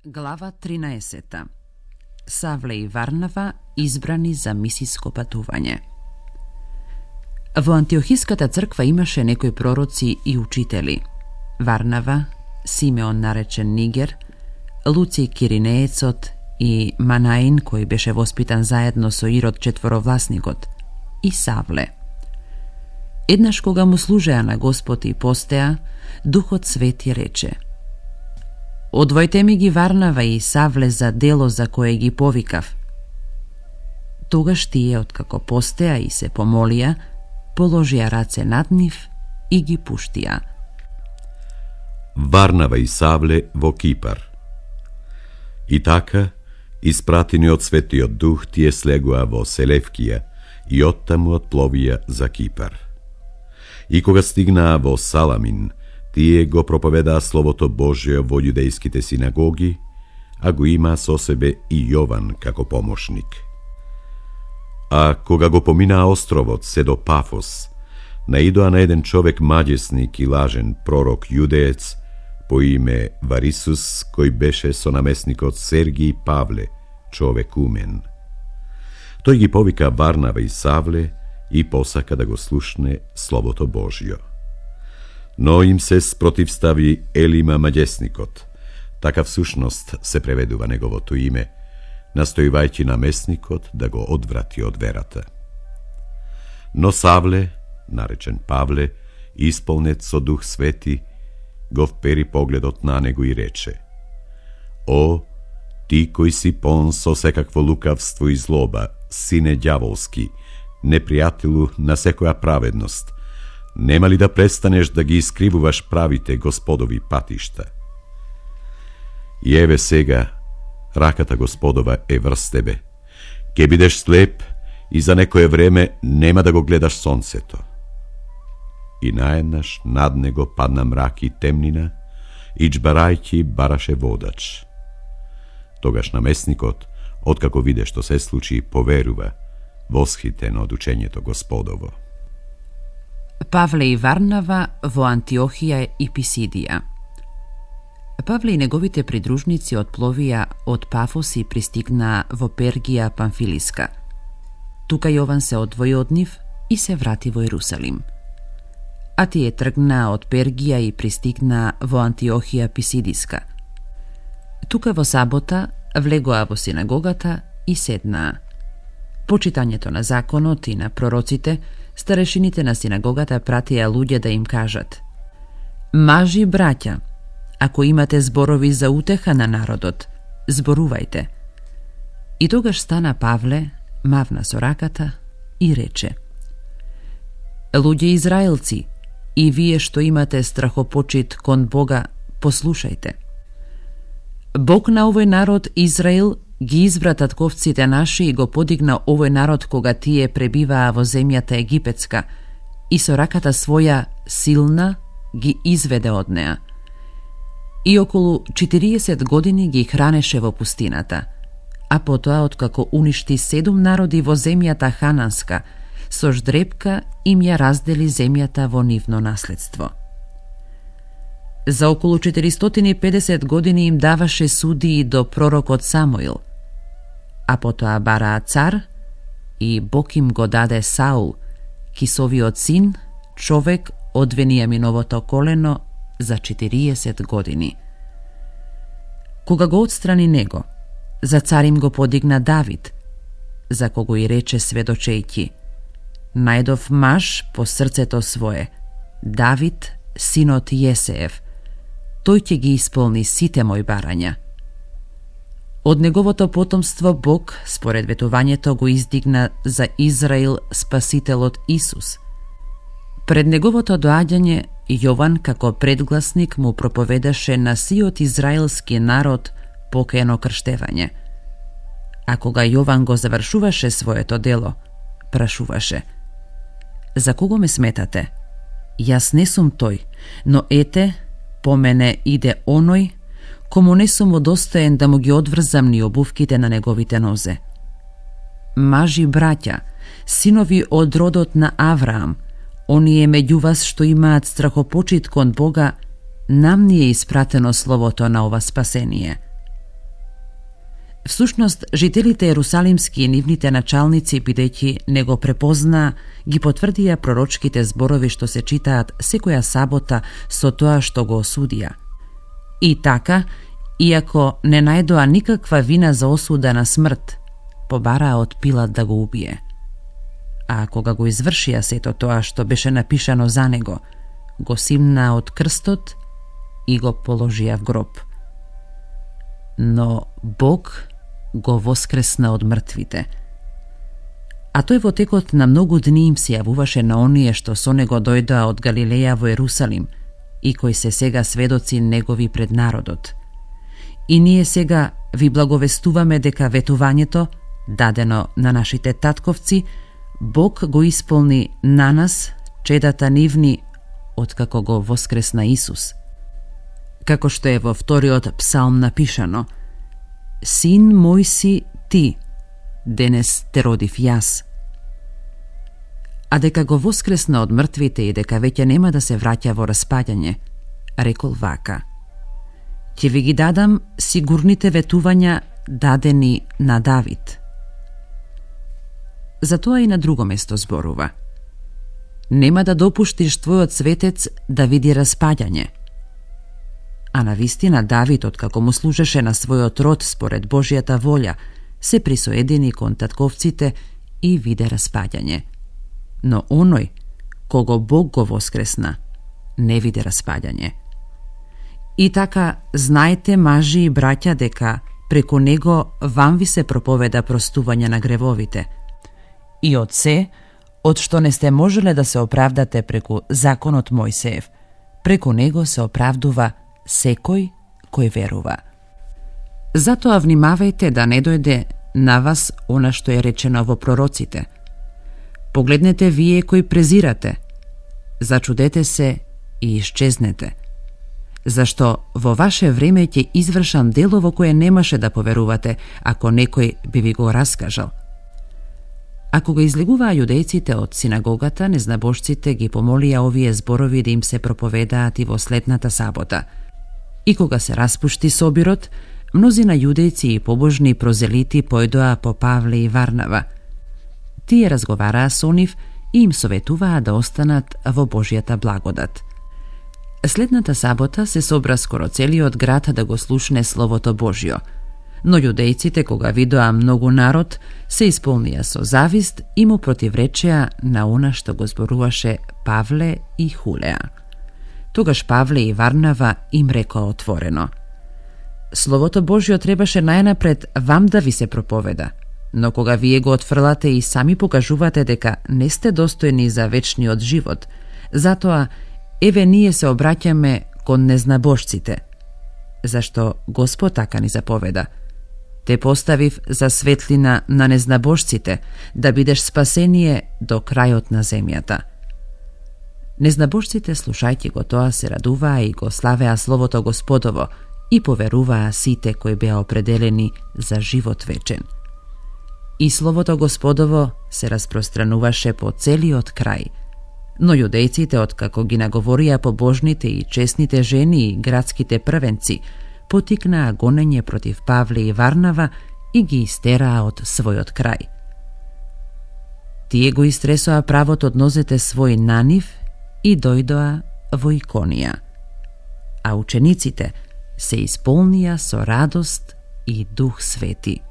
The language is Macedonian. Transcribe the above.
Глава 13. Савле и Варнава избрани за мисиско патување. Во Антиохиската црква имаше некои пророци и учители. Варнава, Симеон наречен Нигер, Луци Киринеецот и Манаин, кој беше воспитан заедно со Ирод четворовласникот, и Савле. Еднаш кога му служеа на Господ и постеа, Духот Свети рече: Одвојте ми ги Варнава и Савле за дело за кое ги повикав. Тогаш тие, откако постеа и се помолија, положија раце над нив и ги пуштија. Варнава и Савле во Кипар. И така, испратени од Светиот Дух, тие слегоа во Селевкија и оттаму отпловија за Кипар. И кога стигнаа во Саламин, тие го проповедаа Словото Божие во јудејските синагоги, а го има со себе и Јован како помошник. А кога го поминаа островот се до Пафос, наидоа на еден човек маѓесник и лажен пророк јудеец по име Варисус, кој беше со намесникот Сергиј Павле, човек умен. Тој ги повика Варнава и Савле и посака да го слушне Словото Божјо. Но им се спротивстави Елима маѓесникот, така всушност се преведува неговото име, настојувајќи намесникот да го одврати од верата. Но Савле, наречен Павле, исполнет со Дух Свети, го впери погледот на него и рече: О, ти кој си пон со секакво лукавство и злоба, сине ѓаволски, непријателу на секоја праведност, нема ли да престанеш да ги искривуваш правите Господови патишта? И еве сега, раката Господова е врз тебе. Ке бидеш слеп и за некое време нема да го гледаш сонцето. И наеднаш над него падна мрак и темнина, и джбарајќи бараше водач. Тогаш намесникот, откако виде што се случи, поверува, восхитен од учењето Господово. Павле и Варнава во Антиохија и Писидија. Павле и неговите придружници отпловија од Пафос и пристигнаа во Пергија Памфилиска. Тука Јован се одвои од нив и се врати во Ерусалим. А тие тргнаа од Пергија и пристигнаа во Антиохија Писидиска. Тука во сабота влегоа во синагогата и седнаа. По читањето на законот и на пророците, старешините на синагогата пратија луѓе да им кажат: Мажи, браќа, ако имате зборови за утеха на народот, зборувајте. И тогаш стана Павле, мавна со раката и рече: Луѓе израелци, и вие што имате страхопочит кон Бога, послушајте. Бог на овој народ Израил ги избра татковците наши и го подигна овој народ кога тие пребиваа во земјата египетска и со раката своја силна ги изведе од неа. И околу 40 години ги хранеше во пустината, а потоа откако уништи 7 народи во земјата хананска, со ждрепка им ја раздели земјата во нивно наследство. За околу 450 години им даваше судии до пророкот Самуил, а потоа бараа цар и Бог им го даде Саул, Кисовиот син, човек од Венијаминовото колено, за 40 години. Кога го отстрани него, за цар им го подигна Давид, за кого и рече сведочејќи: Најдов маж по срцето свое, Давид, синот Јесеев, тој ќе ги исполни сите мои барања. Од неговото потомство Бог, според ветувањето, го издигна за Израил Спасителот Исус. Пред неговото доаѓање, Јован како предгласник му проповедаше на сиот израелски народ покајано крштевање. А кога Јован го завршуваше своето дело, прашуваше: За кого ме сметате? Јас не сум тој, но ете, по мене иде оној, кому не сум удостоен да му ги одврзам ни обувките на неговите нозе. Мажи, браќа, синови од родот на Авраам, оние меѓу вас што имаат страхопочит кон Бога, нам ни е испратено словото на ова спасение. Всушност, жителите ерусалимски и нивните началници, бидејќи не го препозна, ги потврдија пророчките зборови што се читаат секоја сабота со тоа што го осудија. И така, иако не најдоа никаква вина за осуда на смрт, побараа од Пилат да го убие. А кога го извршија сето тоа што беше напишано за него, го симнаа од крстот и го положија в гроб. Но Бог го воскресна од мртвите. А тој во текот на многу дни им се јавуваше на оние што со него дојдоа од Галилеја во Ерусалим и кои се сега сведоци негови пред народот. И ние сега ви благовестуваме дека ветувањето, дадено на нашите татковци, Бог го исполни на нас, чедата нивни, откако го воскресна Исус. Како што е во вториот псалм напишано: Син мој си ти, денес те родив јас. А дека го воскресна од мртвите и дека веќе нема да се враќа во распаѓање, рекол вака: ќе ви ги дадам сигурните ветувања дадени на Давид. Затоа и на друго место зборува: нема да допуштиш твојот светец да види распаѓање. А навистина Давид, откако му служеше на својот род според Божјата волја, се присоедини кон татковците и виде распаѓање. Но оној, кого Бог го воскресна, не виде распаѓање. И така, знаете, мажи и браќа, дека преку него вам ви се проповеда простување на гревовите. И од се, од што не сте можеле да се оправдате преку законот Мојсеев, преку него се оправдува секој кој верува. Затоа внимавајте да не дојде на вас она што е речено во пророците. Погледнете вие кои презирате, зачудете се и исчезнете, зашто во ваше време ќе извршам дело во кое немаше да поверувате, ако некој би ви го раскажал. А кога излегуваа јудејците од синагогата, незнабожците ги помолија овие зборови да им се проповедаат и во следната сабота. И кога се распушти собирот, мнозина јудејци и побожни прозелити појдоа по Павле и Варнава. Тие разговараа со нив и им советуваа да останат во Божјата благодат. Следната сабота се собра скоро целиот град да го слушне Словото Божјо, но јудејците, кога видоа многу народ, се исполнија со завист и му противречеа на она што го зборуваше Павле и хулеа. Тогаш Павле и Варнава им рекоа отворено: Словото Божјо требаше најнапред вам да ви се проповеда, но кога вие го отфрлате и сами покажувате дека не сте достојни за вечниот живот, затоа еве ние се обраќаме кон незнабожците, зашто Господ така ни заповеда: те поставив за светлина на незнабожците, да бидеш спасение до крајот на земјата. Незнабожците, слушајќи го тоа, се радуваа и го славеа Словото Господово и поверуваа сите кои беа определени за живот вечен. И Словото Господово се распространуваше по целиот крај, но јудејците, откако ги наговорија побожните и честните жени и градските првенци, потикнаа гонење против Павле и Варнава и ги истераа од својот крај. Тие го истресоа правот од нозете свој на нив и дојдоа во Иконија, а учениците се исполнија со радост и Дух Свети.